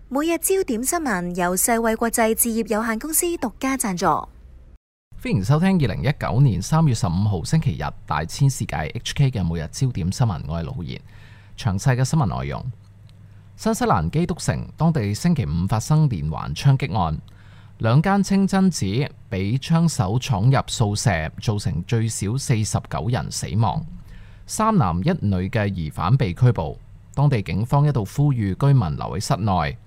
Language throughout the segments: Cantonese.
每日焦點新聞由世衛國際置業有限公司獨家贊助。歡迎收聽2019年3月15號星期日大千世界 HK 嘅每日焦點新聞，我係盧浩然。詳細嘅新聞內容：新西蘭基督城當地星期五發生連環槍擊案，兩間清真寺被槍手闖入掃射，造成最少49人死亡，3男1女嘅疑犯被拘捕。當地警方一度呼籲居民留喺室內。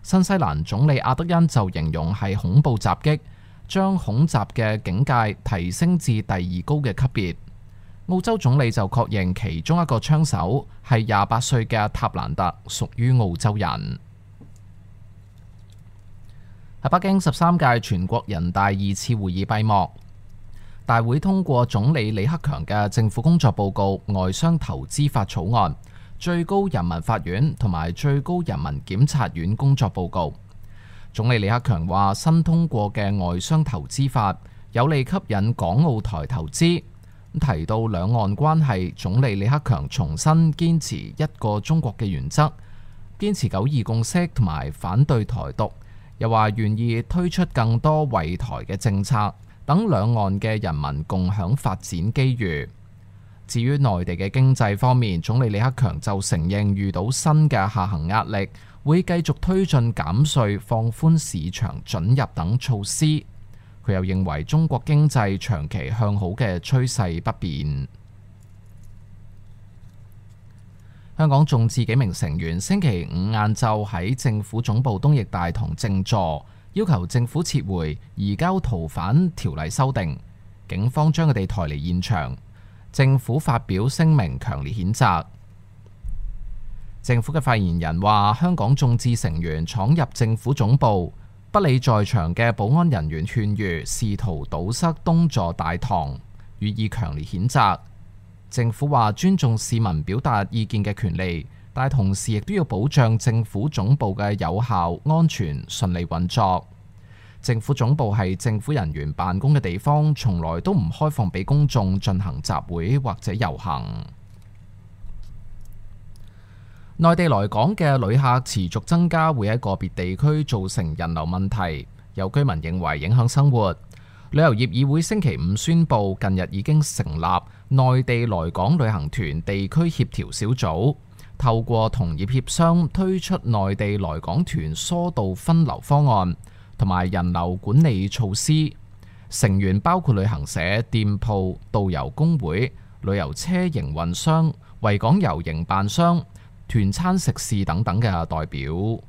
新西蘭總理阿德恩就形容係恐怖襲擊，將恐襲嘅警戒提升至第2高嘅級別。澳洲總理就確認其中一個槍手係28歲嘅塔蘭特，屬於澳洲人。喺北京13屆全國人大2次會議閉幕，大會通過總理李克強嘅政府工作報告、外商投資法草案、最高人民法院同埋最高人民檢察院工作報告。總理李克強話，新通過嘅外商投資法有利吸引港澳台投資。提到兩岸關係，總理李克強重申堅持一個中國嘅原則，堅持9·2共識同埋反對台獨，又話願意推出更多惠台嘅政策，等兩岸嘅人民共享發展機遇。至於內地嘅經濟方面，總理李克強就承認遇到新嘅下行壓力，會繼續推進減稅、放寬市場准入等措施。佢又認為中國經濟長期向好嘅趨勢不變。香港眾志幾名成員星期五晏晝喺政府總部東翼大堂靜坐，要求政府撤回移交逃犯條例修訂。警方將佢哋抬離現場。政府發表聲明強烈譴責。政府嘅發言人話，香港眾志成員闖入政府總部，不理在場嘅保安人員勸喻，試圖堵塞東座大堂，予以強烈譴責。政府話尊重市民表達意見嘅權利，但同時亦都要保障政府總部嘅有效、安全、順利運作。政府總部係政府人員辦公嘅地方，從來都唔開放俾公眾進行集會或者遊行。內地來港嘅旅客持續增加，會喺個別地區造成人流問題，有居民認為影響生活。旅遊業議會星期五宣布，近日已經成立內地來港旅行團地區協調小組，透過同業協商推出內地來港團疏導分流方案同埋人流管理措施。成員包括旅行社、店鋪、導遊工會、旅遊車營運商、維港遊營辦商、團餐食肆等等嘅代表。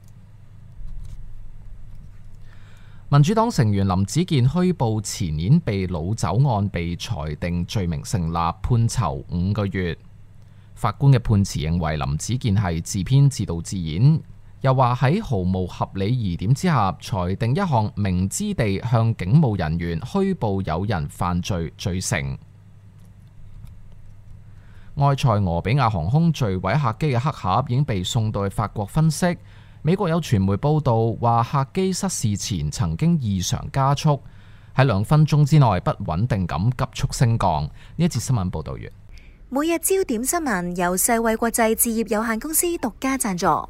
民主黨成員林子健虛報前年被擄走案被裁定罪名成立，判囚5個月。法官嘅判詞認為林子健係自編自導自演，又話喺毫無合理疑點之下裁定一項明知地向警務人員虛報有人犯罪罪成。埃塞俄比亞航空墜毀客機嘅黑盒已經被送到去法國分析。美國有傳媒報道話，客機失事前曾經異常加速，喺2分鐘之內不穩定咁急速升降。呢一節新聞報道完。每日焦點新聞由世衛國際置業有限公司獨家贊助。